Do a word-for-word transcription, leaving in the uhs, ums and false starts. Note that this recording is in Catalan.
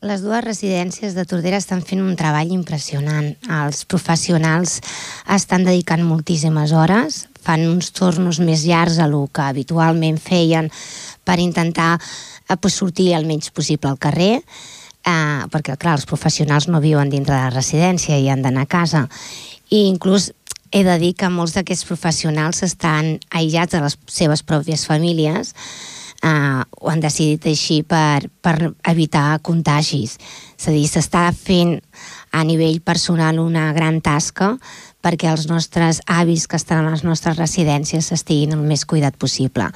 les dues residències de Tordera estan fent un treball impressionant. Els professionals estan dedicant moltíssimes hores, fan uns tornos més llargs a lo que habitualment feien per intentar eh, pues, sortir el menys possible al carrer, eh, perquè, clar, els professionals no viuen dintre de la residència i han d'anar a casa. I inclús he de dir que molts d'aquests professionals estan aïllats de les seves pròpies famílies, Uh, ho han decidit així per, per evitar contagis. És a dir, s'està fent a nivell personal una gran tasca perquè els nostres avis que estan a les nostres residències estiguin el més cuidat possible.